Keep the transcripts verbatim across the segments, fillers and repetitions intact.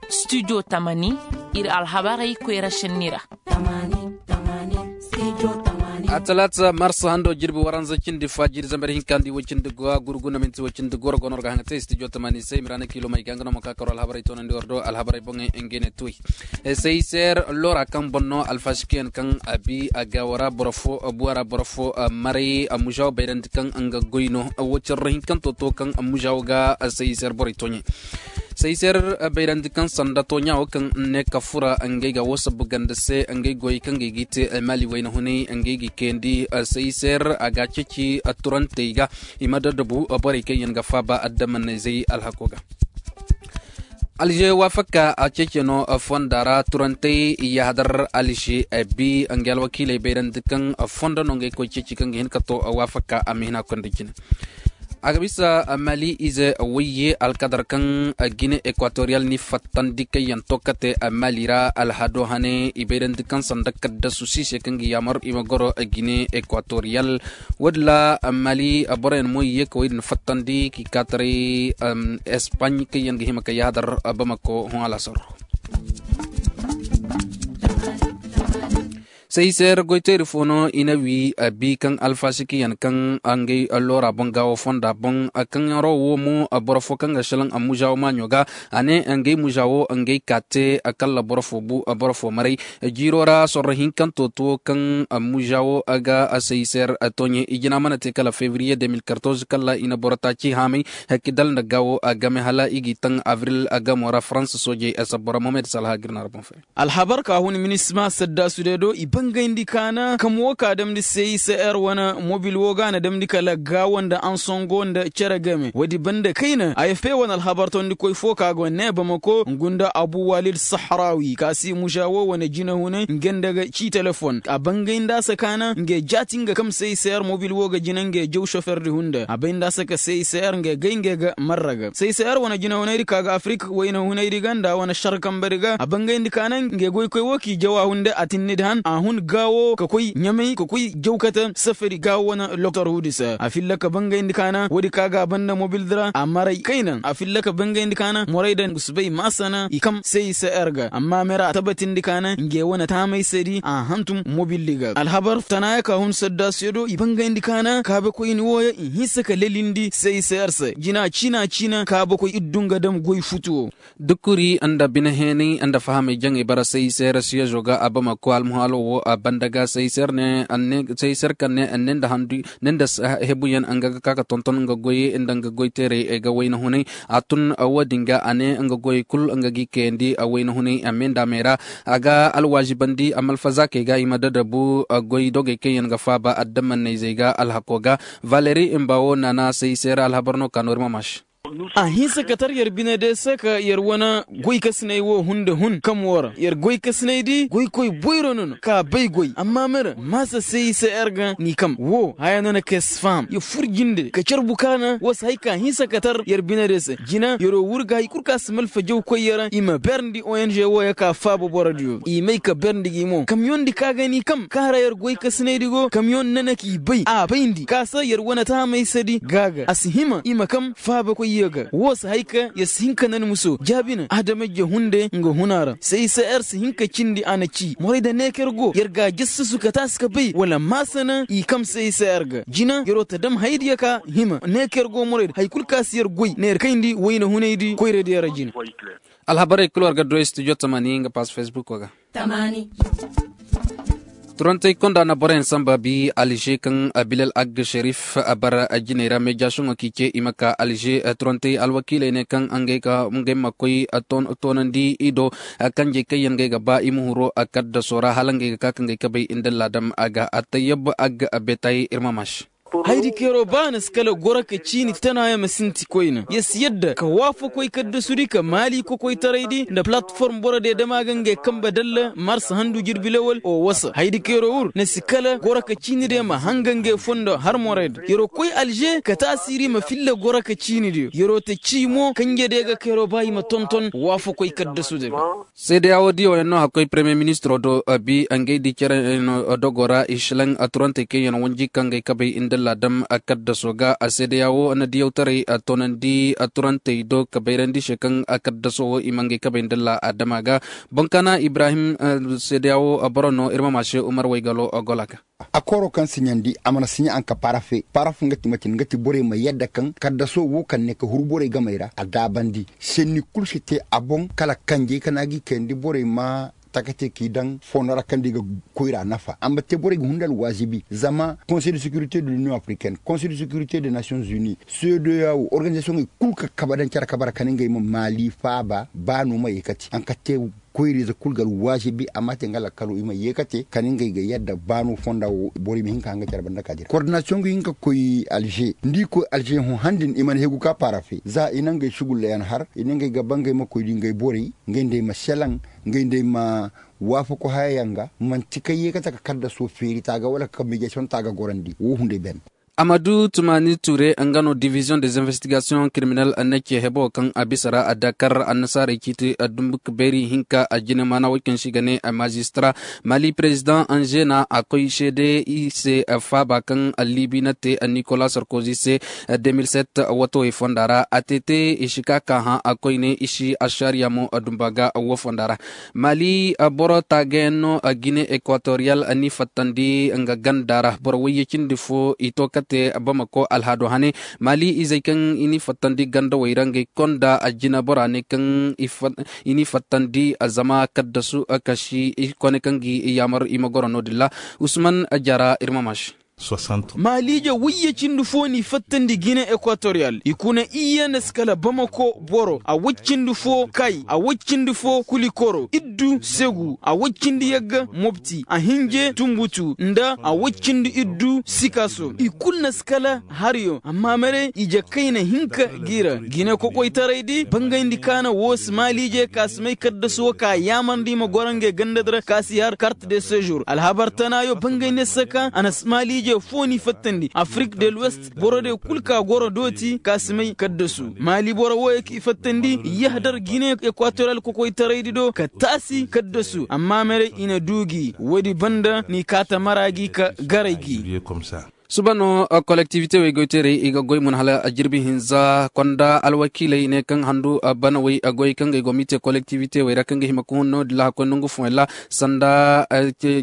Studio tamani, ir alhabarey koyra šenni ra. Atalaata marsa hando jirbi waranza cindi fa jiiri zambar hinka nda i way cindi go a gurgu na minti way cindi go ra go no ra ga haŋ ga te studio tamani se i ma ra na kiilomey ga nga no ma ka karo alhabarey toonandi war do alhabarey boŋey nga ne tuwey. Seyser lora kaŋ boŋ no alfasikiyaŋ kaŋ a bi a gaawo ra boro fo buwa ra boro fo maray mužawa bayrandi kaŋ nga goy no. Wo carro hinkanto to kaŋ mužawa ga seyser borey tooɲey. Seyser bayrandi kaŋ sanda tooɲa wo kaŋ ne ka fura ngey ga wo sabu ganda se ngey goyey kaŋ ga i g'i te maali wayna hunay ngey g'i kayandi. Seyser a ga a ceeci turantey ga i ma daddabu borey kaŋ yaŋ ga faaba addamanizey alhako ga. Alže waafaka a ceece no fonda ra turantey yahadar alže bi nga alwakiiley bayrandi kaŋ fondo no ngey koy ceeci kaŋ ga hin ka to waafaka a ma hin a konda jine. A ga bisa mali ize wayye alkadar kaŋ gine ekwatoriyal ni fattandi kaŋ yaŋ to kate mali ra alhado hane i bayrandi kaŋ sanda kaddasu siise kaŋ ga yaamar i ma goro gine ekwatoriyal. Wo-din ra mali boroyaŋ mo i ye ka woy din fattandi k'i kaataray. Espaɲ kaŋ yaŋ ga hima ka yaadar bamako hõ alasar. Seyser goyteeri fo no i na wi bi kaŋ alfasikiyaŋ kaŋ ngey loora boŋ gaawo fonda boŋ. Kaŋ yaŋ ro wo mo boro fo kaŋ ga salaŋ mužawo maaɲo ga a ne ngey mužawo ngey ka te kalla boro fo bu boro fo maray. Jiiro ra sorro hinkanto to kaŋ mužawo ga seyser tooɲe i jina mana te kala fevriye deux mille quatorze kala i na boro taaci haamay. Hakki dala nda gaawo game hala i g'i taŋ avril gamo ra faransa soojey sabbo ra mohamed salha ga ir na ra boŋ fay. Alhabar ka hun minisma saddasu day do i bangayndi kaana kam wo ka damndi cicr wane mobil wo ga na damndi kala gaawo nda ansongo nda cere game woodi banda kayna afp wane alhabar tondikoy fo ka go ne bamako ngu nda abu walid sahrawi ka si muža wo wane jinahunay nge nda ga ci telefon a bangayndi a se kaana nge jaati nga kam cicr mobil wo ga jina nge jaw soferdi hunda a bayndi a se ka cicr nge gay nge ga marra ga cicr wane jinahunaydi ka ga afrik waynahunaydi ga nda wane šar kambadi ga a bangayndi kaana nge goykoy wo k'i jaw a hun nda a tinnidi han a hun gaawo ka koy ɲamay ka koy jaw kate safari gaawo wane loktor huudi se a filla ka bangayndi kaana woodi ka ga a banda mobildi ra a maray kayna a filla ka bangayndi kaana morayda ngu si bay maasana i kam se i se er ga amma mera a tabatindi kaana nge wane taamaysedi a hantum mobildi ga alhabar tanaaya ka hun saddaasiyo do i bangayndi kaana kaabekoyni wooyo i hinsa ka lelindi se i se er se jina ciina ciina kaabekoy iddu nga dam goy futu wo. Dukuri nda bine heenay nda fahamay jaŋay bara se i se er siyezo ga a bamako almuhaalo wo a banda ga se i se er ne se i se er kaŋ ne ne nda handu ne nda hebuyaŋ nga ga ka ka tonton nga goy nda nga goy teeray ga wayna hunay a tun. Woodin ga a ne nga goy kul nga g'i kayandi a wayna hunay a me nda a me ra a ga alwaazibandi a malfazaakey ga i ma dadabu goy dogey kaŋ yaŋ ga faaba addamanayzey ga alhako ga. Valeri mba wo naana se i se er alhabar no ka no ir ma maasi. A hinsa ka tar yer bine day se ka yer wane goykasinay wo hun nda hun kam wo ra yer goykasinay di goykoy boyro no no ka bay goy amma mera maasa se i se er ga ni kam wo haya no na ka yer si faham yer fur jinde ka carbu kaana wo si hay ka hinsa ka tar yer bine day se jina yer'o wur ga hay kul ka si malfa jawkoy yer i ma berndi ong wooyo ka faaba borodiyo i may ka berndi gi mo kamyondi ka ga ni kam kaara yer goykasinaydi go kamyon nana k'i bay a bayndi ka se yer wane taamaysadi ga ga a si hima i ma kam faabakoyyo ga woo si hay ka yer si hin ka nan muso jaabina adamajje hunde nga huna ra cicr si hin ka cindi a na ci morayda neeker go yer ga a jassasu ka taasi ka bay wala maasana i kam cicr ga jina yer'o ta dam hayadiyo ka hima neeker go morayda hay kul ka si yer goy na yer kayndi wayna hunaydi koyradiyo ra jina. Alhabarey kul war ga du studio tamani nga pass facebook ga. Turantey konda na boroyaŋ samba bi alže kaŋ bilal agg šerif a bara jiney ra meejasiyoŋo k'i ce i ma ka alže. Turantey alwakiiley ne kaŋ ngey ma koy toonandi i do kanjey kaŋ yaŋ ngey ga ba i ma huru kaddaso ra hala ngey ga ka ka ngey kabey nda laadam a ga a tayyab agg betay ir ma maasi. Haydi keeroo ba na si kala goro ka ciini tanaayaŋ ma sinti koyne yer si yadda ka waafakoy kaddasudi ka maali kokoytaraydi nda palatform borodiyo dama ga ngey kambe dalla marsa handu jirbi lawal o wasa haydi keeroo wur na si kala goro ka ciinidiyo ma hanga ngey fondo har morayda yer'o koy alže ka taasiiri ma filla goro ka ciinidiyo yer'o ta cii mo kanjediyo ga keeroo ba i ma tonton waafakoy kaddasudi ga. Seedeyaa woo diyo yaŋ no hakkoy premiyer ministiroo do bi ngey di cere yaŋ dogoo ra i šelaŋ turantey kaŋ yaŋ wanji ka ngey kabey nda Laadam kaddaso ga a seedeya wo na diyawtaray a toonandi a turantey do ka bayrandi se kaŋ a kaddaso wo i ma ngey kabay nda laadama ga. Boŋkaana ibrahim seedeya wo boro no ir ma maase umar waygalo gola ga. A kooro kaŋ siɲandi a mana siɲa anka parafe parafe nga ti matin nga ti borey ma yadda kaŋ kaddaso wo kaŋ ne ka huru borey gamey ra a daabandi. Senni kulu si te a boŋ kala kanjey kaŋ a ga i kayandi borey ma taka te k'i daŋ fondo ra kaŋ da i ga koyra nafa amma te borey ga hunda alwaazibi zama konsey de securité de l'union africaine konsey de securité de nations unies, seedeya wo organizasiyoŋey kulu ka kaba daŋ care kaba ra kala ngey ma maali faaba ba no ma ye kati anka te koyriize kulu ga alwaazibi amma te nga lakkalo i ma ye kate kala ngey ga yadda ba no fonda wo boro i ma hin ka hanga care banda ka dira koordinasiyoŋ ga hin ka koy alze nda i koy alze hõ han din i mana hegu ka paara fe za i na ngey sugullayaŋ har i na ngey ga ba ngey ma koy di ngey borey ngey nda ay ma selaŋ ngey nda ay ma waafaku hayayaŋ ga man'ti kaŋ ye ga taka kaddaso feeri taaga wala ka kaŋ mejeson taaga gorandi wo hunday ben. Amadu tumani ture nga no division des investigations kiriminel na ce hebo kaŋ a bisa ra a dakar annasaarey ciiti dumbu ka beeri hinka a jine maana woy kaŋ se i ga ne a mazistara mali perezidaŋ anzena a koy seede i se faaba kaŋ libi na te nikola sarkozi se. De mil set watawey fonda ra a te te i si ka ka hã a koyne i si ašariya mo dumba ga wo fonda ra. Mali boro taagayaŋ no gine ekwatoriyal ni fattandi nga ganda ra boro wayye cindi fo i to kate bamako alhaado hane. Mali izey kaŋ i ni fattandi gandawey ra ngey konda jina bora ne kaŋ i ni fattandi zama kaddasu kasi i kone kaŋ gi yaamar i ma goro no-din ra. Usman jara ir ma maasi. Maaliije wayye cindi fo n'i fattandi gine ekwatoriyal i kuna iyye nda si kala bamako boro a way cindi fo kay a way cindi fo kulikoro iddu segu a way cindi yagga mobti a hinje tumbutu nda a way cindi iddu sikaso i kulu na si kala hariyo amma maray ije kayna hinka g'i ra gine kokoytaray di bangayndi kaana woo si maaliije ka si may kaddasu woo ka yaamarndi i ma goro ngey gandadi ra ka si har kart de sejour alhabar tanaayo bangayndi se ka a na si maaliije foo n'i fattandi afrik de l'ouest borodiyo kul ka goro dooti ka si may kaddasu maali boro wooyo k'i fattandi yahdar gine ekwatoriyal kokoytaraydi do ka taasi kaddasu amma maray i na duu gi woodi banda n'i kaa ta mara gi ka garay gi. Suba no kolektivite wey goyteerey i ga goy mun hala jirbi hinza konda alwakiiley ne kaŋ handu banawey goy kaŋ ga ay go m'i te kolektivite wey ra kaŋ ga hima ka hun no-din ra hakkoy nongu fooyaŋ ra sanda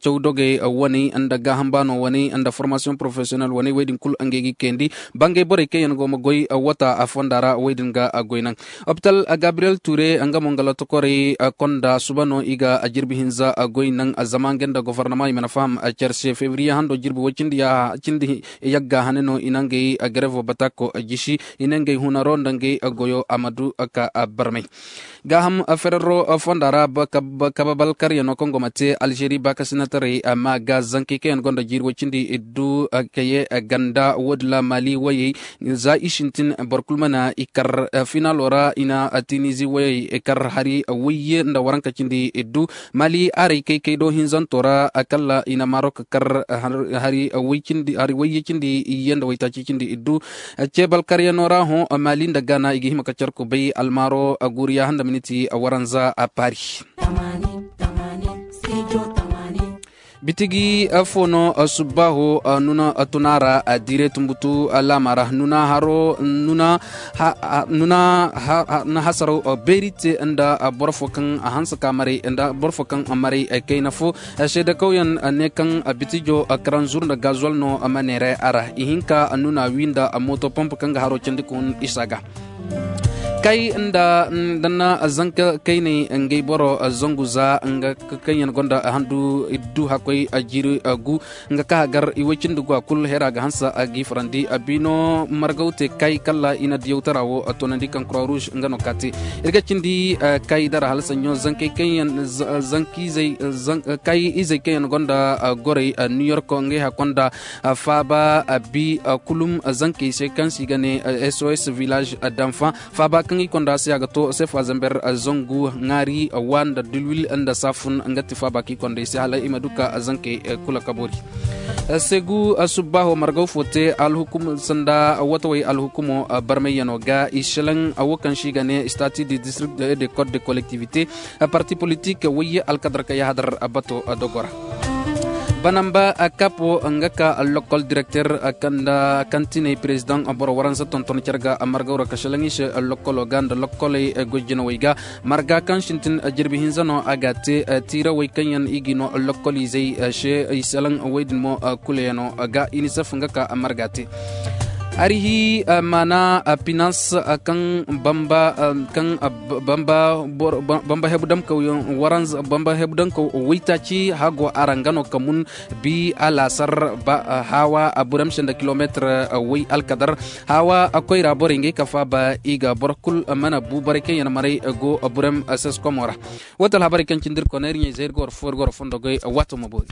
caw dogey waney nda gaaham baano waney nda formasiyoŋ porofesiyonel waney wey din kulu ngey g'i kayandi. Bangey borey kaŋ yaŋ go ma goy wata fonda ra wey din ga goy naŋ. Opital gabriyel ture nga mo nga lotokorey konda suba no i ga jirbi hinza goy naŋ zama nga nda gofornama i mana faham care se febriye hando jirbi way cindi yagga hane no i na ngey garevo batako jisi i na ngey hunaro nda ngey goyo amadu ka barmay. Gaaham ferero fonda ra kabe balkaryaŋo kaŋ go ma te alžeri baakasinataray ma ga zankey kaŋ yaŋ gonda jiiri way cindi iddu kaye ganda woodin ra maali wayey za i sintin boro kulu mana i kar finalo ra i na tinizi wayey kar hari wayye nda waranka cindi iddu maali haray kaykay do hinzanto ra kala i na marok kar hari wayye cindi iyye nda waytaaci cindi iddu. Cebal karyaŋo ra hõ maali nda gaana i ga hima ka carku bay almaaro guuriya handa miniti waranza a paari. Bitigi fo no subbaaho nuna tuna ra diire tumbutu laama ra nuna haro nuna hasaraw beeri te nda boro fo kaŋ hanse ka maray nda boro fo kaŋ maray kayna fo seedekawyaŋ ne kaŋ bitijo karanzur nda gazuwal no ma neeray a ra ihinka nuna wi nda mooto pomp kaŋ ga haro candi ka hun isa ga. Kay nda danna zanka kayney ngey boro zangu za nga kaŋ yaŋ gonda handu iddu hakkoy jiiri gu nga ka hagar i way cindi gu a kul hera ga hanse a g'i farandi a biino margaw te kay kala i na diyawtara wo a toonandi kaŋ croix rouge nga no ka te. Ir ga cindi kay dara hala saɲɲo zankey kaŋ yaŋ zankiizey kay izey kaŋ yaŋ gonda gorey new york ngey hakkonda faaba bi kulum zankey se kaŋ se i ga ne sos village d'enfant faaba kaŋ i konda se a ga to sefa zamber zangu ŋaari wa nda dilwil nda saafun nga ti faaba kaŋ i konda i se hala i ma du ka zankey kula ka boori. Segu subbaaho margaw fo te alhukum sanda watawey alhukumo barmayyano ga i selaŋ wo kaŋ se i ga ne statut de district de code de collectivité parti politique wayye alkadar ka yahadar bato dogo ra. Banamba kapo nga ka lokol direkter, kaŋ tinay perezidaŋ boro waransa tonton care ga margawra ka šelaŋ i se lokoloo ga nda lokoley goy jinawey ga. Marga kaŋ sintin jirbi hinza no a ga te tiirawey kaŋ yaŋ i ga i no lokoliizey se i salaŋ wey din mo. Kulayaŋo ga inisef nga ka marga te. Hari hi maana finans kaŋ bamba hebu damkawyaŋ waranza bamba hebu damkaw waytaaci hago a ra nga no ka mun bi alaasar ba hawa burem se nda kilomeetir way alkadar hawa koyra borey ngey ka faaba i ga boro kul mana bu borey kaŋ yaŋ maray go burem seskomora. Woo ti alhabarey kaŋ cindi ir koney ir ɲey zay ir ga war foo ir ga war fondo goy waato ma boori.